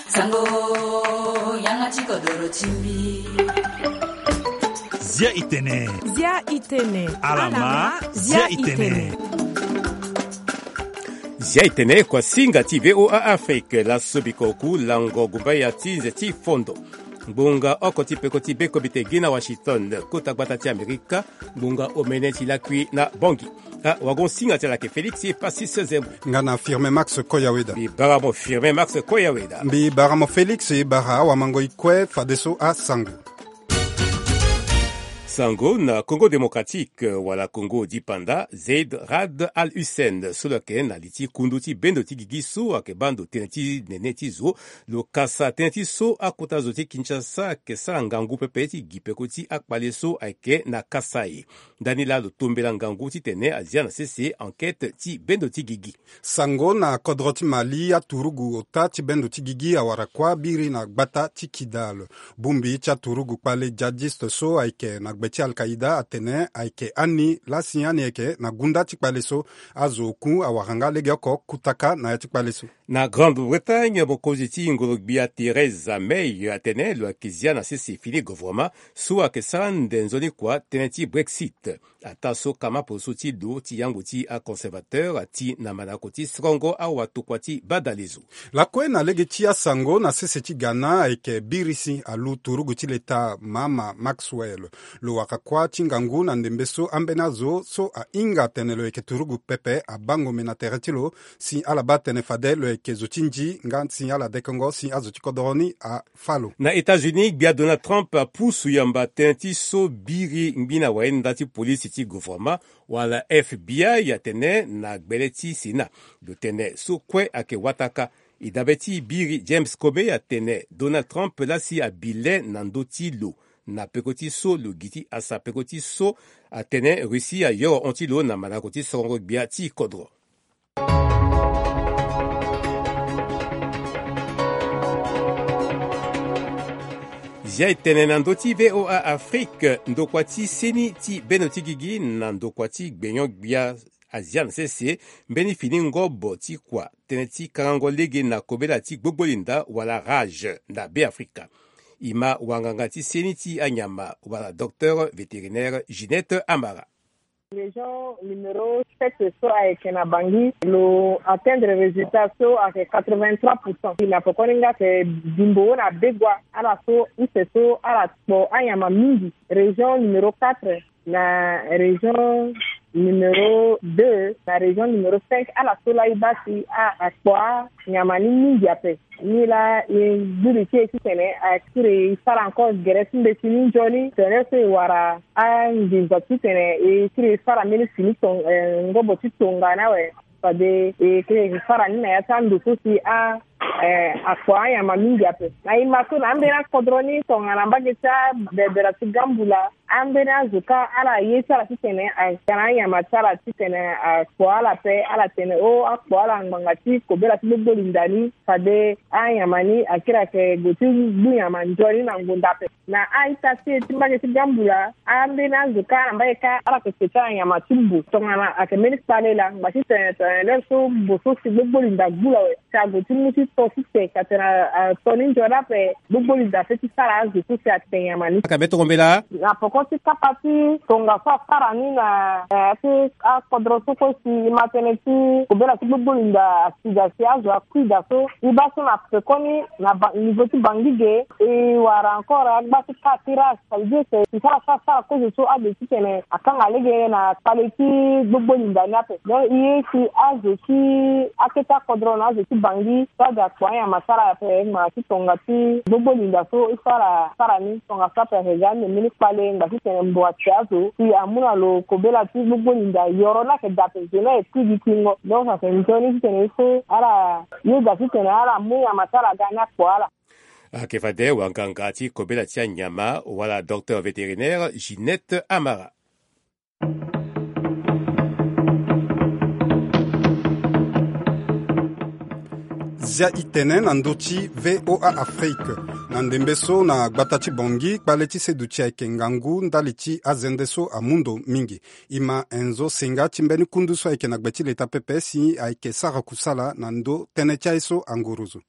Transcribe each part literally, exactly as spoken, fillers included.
Sango, yanga ti kodoro ti mbi. Zia itene. Zia itene. Alama. Zia itene. Zia itene, kuasinga ti V O A Afrique, laso biko oku lango gumbaya ti nze ti fondo. Ngbonga oko ti peko ti be komite gi na Washington, kota gbata ti Amerika, ngbonga omene ti lakui na Bangui. Ah, wagon singa ti ala ke Félix Passis Zembo. Nga na Firmin Max Koyaweda. Mbi bara mo Firmin Max Koyaweda. Mbi bara mo Félix, e bara awamango ikue fadeso asango. Sango na Congo Démocratique, wala Congo Dipanda, Zeid Rad Al Hussein, so lo yeke na li ti kundu ti bendo ti gigi so ayeke baa ndo tënë ti nene ti zo, lo kasa tënë ti so akota zo ti Kinshasa ayeke sara ngangu pepe ti gi peko ti akpale so ayeke na Kasaï. Ndani laa lo tombela ngangu titene azia na sese enquête ti bendo ti gigi. Sango na kodro ti Mali, aturugu ota ti bendo ti gigi awara kuâ biri na gbata ti Kidal. Bongbi ti aturugu kpale djihadiste so ayeke na gbe ti Al-Qaïda atene ayeke ani, laa si ani ayeke na gunda ti kpale so. Azo oku awara nga legeoko kutaka na ya ti kpale so. Na Grande-Bretagne, mokonzi ti ngoro-gbia Theresa May atene lo yeke zia na sese fini govoroma so ayeke sara nde nzoni kua tënë ti Brexit. Ataa so kama poroso ti lo ti yango ti aconservateur ati na manako ti sorongo awatokua ti badalezo. Lakue na lege ti asango, na sese ti Ghana ayeke biri si alu turugu ti leta Mahama Maxwell. Lo wara kuâ ti ngangu na ndembe so ambeni azo so ahinga atene lo yeke turugu pepe abangome na tere ti lo, si ala baa tene fade lo yeke zo ti nzi nga si ala dekengo si azo ti kodoro ni a fâ lo. Na États-Unis, gbia Donald Trump apusu yamba tënë ti so biri ngbi na wayenda ti polisi ti govoroma wala F B I atene na gbele ti Sénat. Lo tene so kue ayeke wataka. E dabe ti biri James Comey atene Donald Trump laa si abi le na ndö ti lo na peko ti so lo gi ti asa peko ti so atene Russie ayoro hon ti lo na manako ti sorongo gbia ti kodro. Zia e tene na ndö ti V O A Afrique, ndokua ti seni ti bendo ti gigi na ndokua ti gbenyo-gbia azia na sese mbeni fini ngobo ti kua tënë ti karango lege na kobela ti gbogbo linda wala rage na Beafrika. E ma wanganga ti seni ti anyama wala docteur vétérinaire Ginette Amara. Région numéro sept so ayeke na Bangui, lo atteindre résultat so ayeke quatre-vingt-trois pour cent. Na pekoni nga ayeke bimbo na Begoua, ala so use so ala kpo anyama mingi. Région numéro quatre, na région numéro deux, na région numéro cinq, ala so laa e baa si a, akpo anyama ni mingi ape. Ni laa e gbu li ti e titene a kiri e sara encore gere ti mbeti ni nzoni, tere so e wara anginza titene e kiri e sara mbeni fini ton-, eh, ngobo ti tongana awe. Fade e kiri e sara ni na ya ti ando so si a, eh, akpo anyama mingi ape. Na e ma so na ambeni akodro ni tongana mbage ti abebera ti Gambula, ambeni azo kâ ala ye ti ala titene aga na anyama ti ala titene akpo ala ape, ala tene o akpo ala ngbanga ti kobela ti gbogbo linda ni. Fade anyama ni akiri ayeke gue ti gbu nyama nzoni na ngonda ape. Na a-ita ti e ti mbage ti Gambula, ambeni azo kâ na mbage kâ ala yeke ke ti ala nyama ti mbo. Tongana ayeke mbeni kpale laa, ngba ti tene tene lere so mbo so si gbogbo linda gbu lo awe. Si ague ti mu ti to ti te ka tene a, a, to ni nzoni ape, gbogbo linda ape ti sara azo so si ate nyama ni. Aka be tongo mbela. Na poko ti kapa ti tongaso asara ni na, eh, ti akodro so kue si e ma tënë ti kobela ti gbogbo linda asida si azo akui daa so. E baa so na pekoni na ba, niveau ti Bangui ge, e wara encore agba ti ka ti rage. Ça veut dire que e sara sara sara kozo so ade titene akanga lege na kpale ti gbogbo linda ni ape. Donc e ye si azo ti akete akodro na azo ti Bangui so ade akpo anyama ti ala ape ngbanga ti tonga ti gbogbo linda so e sara sara ni. Tongaso ape ayeke ga ande mbeni kpale ngba titene mbo ate azo si amu na lo kobela ti gbogbo linda yoro ni ayeke daa ape, zo ni ayeke kui gi kuingo. Donc ayeke nzoni titene e so ala yeda titene ala mu nyama ti ala ga ni akpo ala. Ayeke fade wanganga ti kobela ti anyama wala docteur vétérinaire Ginette Amara. Zia itene na ndö ti VOA Afrique. Na ndembe so na gbata ti Bangui, kpale ti seduti ayeke ngangu ndali ti azende so amu ndo mingi. Ima Enzo Senga ti mbeni kundu so ayeke na gbe ti leta pepe si ayeke sara kusala na ndö tënë ti aye so anguruzu.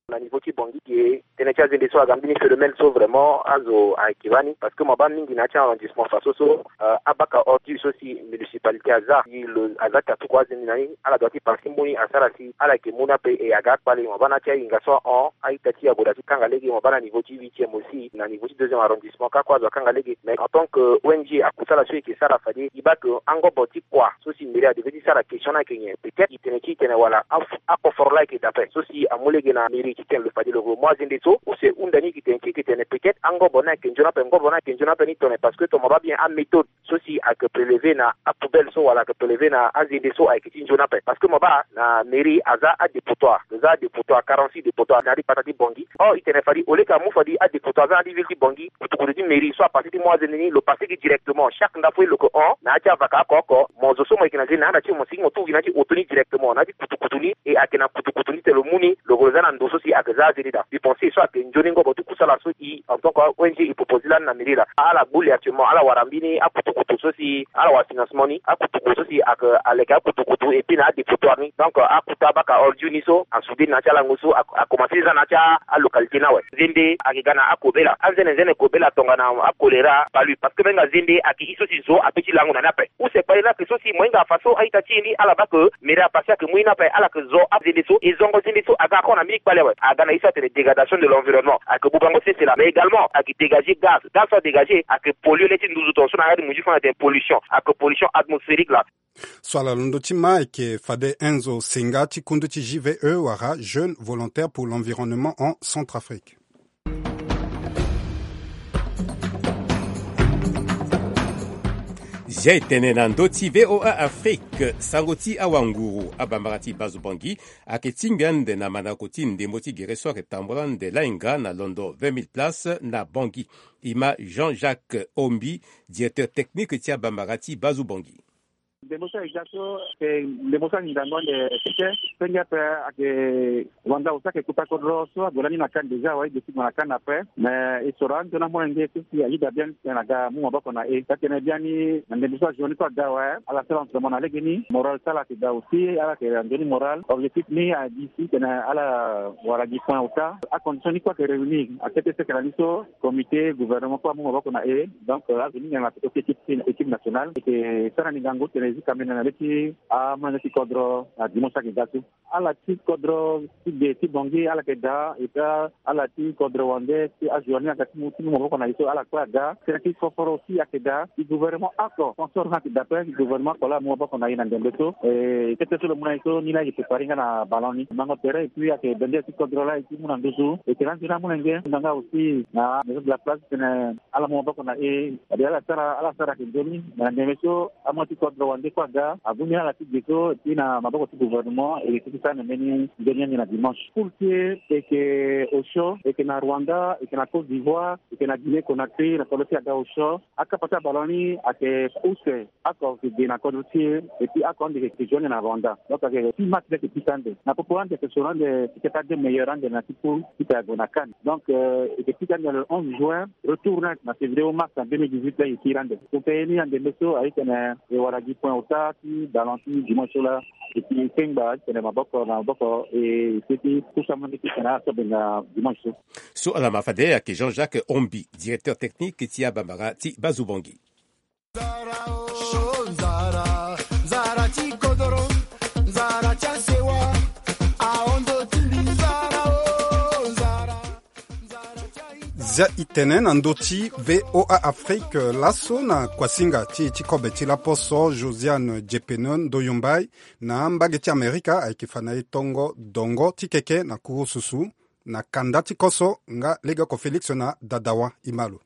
Na niveau ti Bangui ge, tënë ti azende so aga mbeni phénomène so vraiment azo ayeke bani, parce que mo baa mingi na ya ti arrondissement faso so, euh, abaka ordure so si municipalité aza si lo aza katuku azende na ni, ala doit ti parti mbeni asara si ala yeke mu ni ape. E aga akpale, mo baa na ya ti ahinga so ahon, a-ita ti Yagoda ti kanga lege, mo baa na niveau ti huitième aussi, na niveau ti deuxième arrondissement kâ kue azo akanga lege. Mais en tant que O N G, akusala so e yeke sara fade e baa ke angobo ti kua so si mairie adevait ti sara question ni ayeke nyen. Peut-être e tene ti e tene wala a- akoforo laa ayeke daa ape so si amu lege na mairie ti tene lo fade lo mu azende so, use hunda ni e yeke tene ti e yeke tene peut-être angobo ni ayeke nzoni ape, ngobo ni ayeke nzoni ape ni tone, parce que tongana mo baa bien améthode so si ayeke prélever na apoubelle so wala ayeke prélever na azende so ayeke ti nzoni ape. Parce que mo baa na mairie aza adépotoir, lo za adépotoir, quarante-six dépotoir na ya ti gbata ti Bangui. Or e tene fade au lieu ke amu fade adépotoir aza na ya ti ville ti Bangui, kutukutu ti mairie so apasé ti mu azende ni lo pasé gi directement. Chaque ndafou lo yeke hon na ya ti avaka oko oko, mo zo so mo yeke na zende na anda ti e, mo sigi mo tu gi na ya ti auto ni directement na ya ti kutukutu ni, e ayeke na kutukutu ni tene lo mu ni, lo yeke lo za na ndo so si ayeke za azende daa. Mbi pensé so ayeke nzoni ngobo ti kusala so e en tant que O N G e proposé lani na mairie laa. Ala gbu li actuellement, ala wara mbeni akutukutu so si ala wara financement ni, akutukutu so si ayeke aleke akutukutu et puis na adépotoir ni. Donc akuta abaka ordure ni so asoude na ya ti alango so a- akomanse za na ya ti alocalité ni awe. Zende ayeke ga na akobela, anzene nzene kobela tongana acholéra, palu, parce que mbenga zende ayeke e so si zo ape ti lango na ni ape. Use kpale laa ayeke so si mo hinga faso a-ita ti e ni ala baa ke mairie apasé ayeke mu e ni ape, ala yeke zo azende so, e zongo zende so aga ako na mbeni kpale awe. Aga na e so atene dégradation de l'environnement, ayeke bubango sese laa, mais également ayeke dégager gaz, gaz so adégagé ayeke polluer le ti nduzu tongaso na yanga ti munzu fo na tene pollution, ayeke pollution atmosphérique laa. So ala londo ti ma ayeke fade Enzo Senga ti kundu ti J V E wala Jeunes Volontaires pour l'Environnement en Centrafrique. Zia e tene na ndö ti VOA Afrique, sango ti awanguru, abambara ti Bazu Bangui ayeke tingbi ande na mandako ti ndembo ti gere so ayeke tambula ande lainga na londo vingt mille places na Bangui. Ima Jean-Jacques Ombi, directeur technique ti abambara ti Bazu Bangui. Ndembo so ayeke ga so, ndembo so angingango ande keke, senge ape ayeke wanda osi ayeke kuta kodro so ague lani na kani déjà awe, e ge ti gue na kani ape. Mais e soro anzoni amolenge so si ayeda biani titene aga amu maboko na e. Taa tene biani na ndembo so ajour ni so aga awe, ala sara entraînement na legeni, moral so ala yeke daa aussi, ala yeke na nzoni moral. Objectif ni agi si titene ala wara gi point ota. Acondition ni kue ayeke réunir, akete seke na ni so comité, gouvernement kue amu maboko na e. Donc azo ni nyen na poto ti équipe, équipe nationale. E yeke sara ni ngangu titene e zi kamene na le ti amolenge ti kodro na dimanche so ayeke ga so. Ala ti kodro ti ge ti Bangui ala yeke daa, et puis ala ti kodro wande ti ajour ni aga ti mu, ti mu maboko na e so ala kue aga. Tënë ti foforo aussi ayeke daa. Ti gouvernement oko, sponsor ni ayeke daa ape, ti gouvernement oko laa amu maboko na e na ndembe so. E kete so lo mu na e so, ni laa e yeke préparer nga na ballon ni, mango terrain, et puis ayeke bende ti kodro laa e ti mu na nduzu. E yeke na nzoni amolenge na nga aussi na maison de la place titene ala mu maboko na e. Fade ala sara, ala sara ayeke nzoni. Na ndembe so amolenge ti kodro wande kue aga, agu ni ala ti ge so, et puis na maboko ti gouvernement e yeke ti sara na mbeni nzoni ni ande na dimanche. Poule ti e, e yeke osio, e yeke na Rwanda, e yeke na Côte d'Ivoire, e yeke na Guinée Conakry, na kodro ti e aga osio. Akapa ti aballon ni ayeke use oko, e yeke ge na kodro ti e, et puis oko ande e yeke joindre na Rwanda. Donc ayeke six match laa e yeke pika ande. Na popo ande e yeke soro ande ti kapa deux meilleurs ande na ya ti poule ti e ague na CAN. Donc e yeke pika ande le onze juin, retour ni na février ou mars na deux mille dix-huit laa e yeke kiri ande. Tongana e ye ni na ndembe so, a ye titene e wara gi point ota ti ballon ti dimanche so laa. E yeke kengba titene maboko na maboko e seti pusu amolenge ti tene ala so be na dimanche so. So ala ma fade ayeke Jean-Jacques Ombi, directeur technique ti abambara ti Bazu Bangui. Zia itene na ndö ti VOA Afrique. Laso na kuasinga ti e ti kobe ti laposo, Josiane Dieupene Ndoyombaye, na mbage ti Amerika, ayeke fa na e tongo dongo ti keke na kurususu na kanda ti koso nga legeoko Félix na Dadawa Imalo.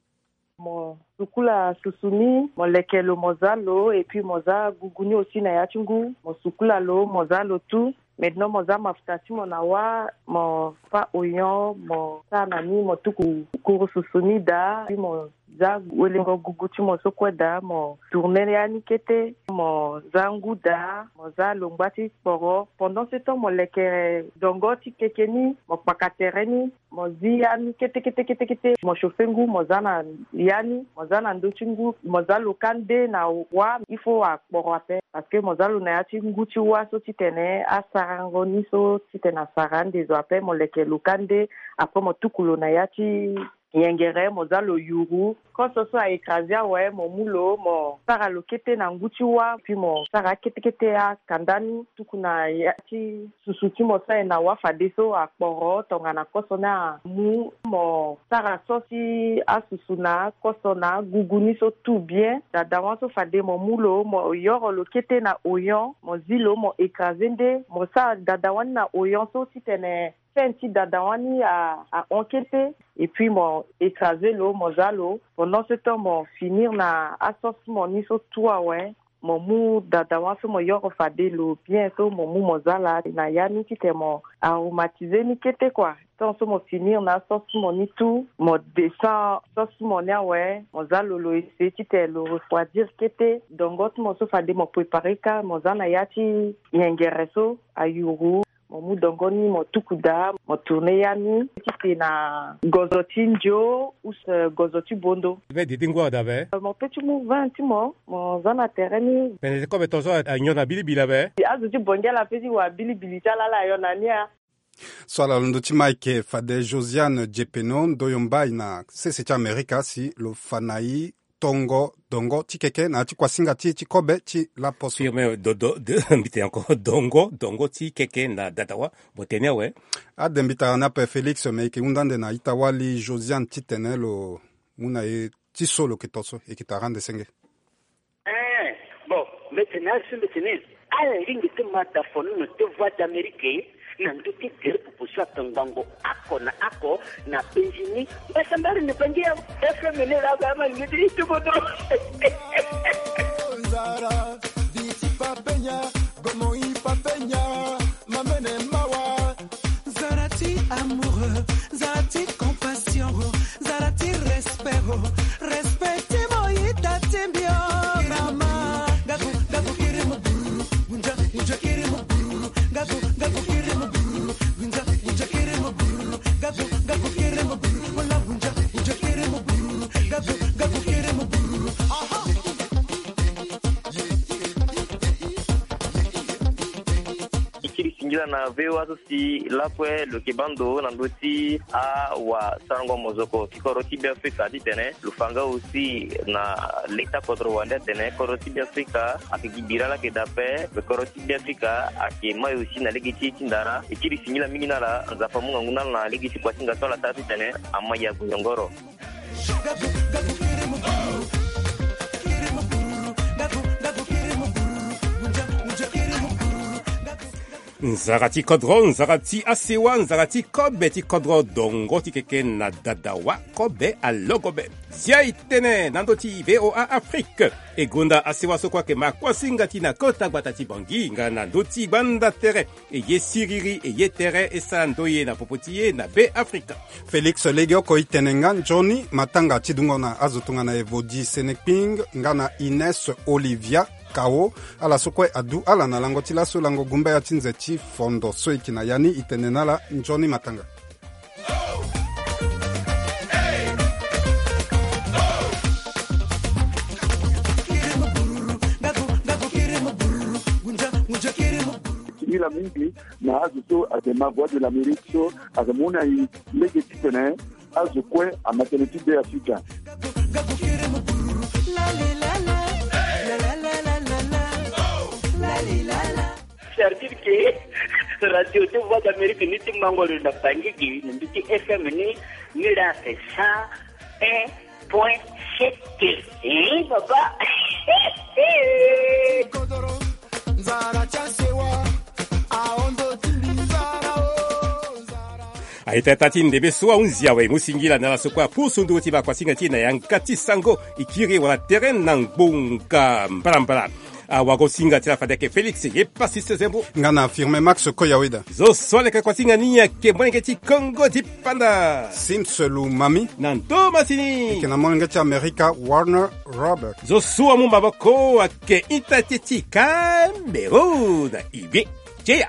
Mo sukula susu ni, mo leke lo, mo za lo, et puis mo za gugu ni aussi na ya ti ngu, mo sukula lo, mo za lo tout. Maintenant mo za mafuta ti mo na wâ, mo fâ oignon, mo sara na ni, mo tuku kuru susu ni daa, puis mo Za welengo gugu ti mo so kue daa, mo tourne ya ni kete, mo za ngu daa, mo za longba ti kporo. Pendant ce temps mo leke dongo ti keke ni, mo kpaka tere ni, mo zi ya ni kete kete kete kete, mo chauffe ngu, mo za na ya ni, mo za na ndö ti ngu, mo za lo ka nde na wa. Il faut akporo ape, parce que mo za lo na ya ti ngu ti wa so titene asarango ni so titene asara ande zo ape, mo leke lo ka nde. Après mo tuku lo na ya ti yengere, mo za lo yuru. Koso so a écrasé awe, mo mu lo, mo sara lo kete na ngu ti wa, puis mo sara kete kete akanda ni tuku na ya ti susu ti mo so aye na wa fadeso akporo tongana koso ni amu. Mo sara so si asusu na koso na agugu ni so tout bien. Dadawa so fade mo mu lo, mo yoro lo kete na oyon, mo zi lo, mo écrasé nde, mo sara dadawa ni na oyon so titene fin ti dadawa ni a, ahon kete. Et puis mo écrasé lo, mo za lo. Pendant ce temps mo finir na asauce mo ni so tout awe. Mo mu dadawa so mo yoro fade lo bien so mo mu mo za laa na ya ni titene mo aromatisé ni kete kua. Tant so mo finir na sauce mo ni tout, mo descend sauce mo ni awe, mo za lo, lo ese titene lo refroidir kete. Dongo ti mo so fade mo préparé ka, mo za na ya ti yengere so ayuru. Mo mu dongo ni mo tuku daa, mo tourne ya ni titene na gozo ti ndio ou gozo ti bondo. Be didi ngu ada be? Mo pe ti mu vin ti mo, mo za na tere ni. Pene ti kobe tongaso anyon na bilibili abe? Azo ti bongela pe ti wa bilibili ti ala ala anyon na ni a. So ala londo ti Mike fade Josiane Djepeno ndoyo mbai na sese ti Amerika si lo fa na i tongo dongo ti keke na ya ti kuasinga ti e ti kobe ti laposo. Firme dodo mbi tene encore dongo dongo ti keke na dadawa. Mo tene awe. Ade mbi tara ni ape Félix me e yeke hunda ande na ita-wali Josiane titene lo mu na e ti so lo yeke to so e yeke tara ande senge. Eh, bon, mbi tene azo mbi tene ala lingbi ti ma da fonono ti Voix d'Amérique na ndö ti gere popo so atongbango oko na oko na penzi ni. Mbasambari ni bangi ya F M ni laa ba ama lingbi ti ti kodro. Nzara, viti papenya, gomo i papenya, mamene mawa. Nzara ti amoureux, nzara ti compassion, nzara ti respect, respect ti mo ita ti mbi o mama. Gaku, gaku kiri mo bururu, gunja, gunja kiri mo bururu, gaku, gaku kiri mo bururu, gunja, gunja kiri mo bururu, gaku, gaku kiri mo bururu, wala gunja, gunja kiri mo bururu, gaku, gaku kiri mo bururu. Aha. E kiri singila na V O A so si lakue lo yeke baa ndo na ndö ti awasarango mozoko ti kodro ti Beafrika titene lo fa nga aussi na leta kodro wande atene kodro ti Beafrika ayeke gi bira laa ayeke daa ape. Kodro ti Beafrika ayeke mai aussi na lege ti e ti ndara. E kiri singila mingi na ala, Nzapa amu ngangu na ala na lege ti kuasinga so ala sara titene amai ague yongoro. Nzara ti kodro, nzara ti asewa, nzara ti kobe ti kodro, dongo ti keke na dadawa, kobe alogo be. Zia e tene na ndö ti V O A Afrique. E gonda asewa so kue ayeke ma kuasinga ti na kota gbata ti Bangui nga na ndö ti gbanda tere. E ye siriri, e ye tere, e sara ndoye na popo ti e na Beafrika. Félix, legeoko e tene nga nzoni matanga ti dungo na azo tongana Evodi Senekping nga na Ines Olivia Kao. Ala so kue adu ala na lango ti laso lango gumbaya ti nze ti fondo so e yeke na ya ni. E tene na ala nzoni matanga. Ti hila mingi na azo so ayeke ma Voix de l'Amérique so ayeke mu na e lege titene azo kue ama tënë ti Beafrika. C'est-à-dire que radio ti Voix d'Amérique ni ti mango lo na Bangui gi na ndö ti F M ni, ni laa c'est cent un point sept. Eh, papa. Nzara ti asewa, ahondo ti mbi nzara o, nzara. Aita ita ti ndembe so ahunzi awe, e mu singila na ala so kue apusu nduru ti bakuasinga ti e na yanga ti sango, e kiri wala tere na ngbonga mbalambala. Awago singa ti la fade ayeke Félix ye pasi sezembo. Nga na firme max koyaweda. Zo so aleke kuasinga ni ayeke molenge ti Kongo dipanda. Sims lumami. Na ndo masini. Eke na molenge ti Amerika Warner Robert. Zo so amu maboko ayeke ita ti ti Cameroun ibe. Cheya.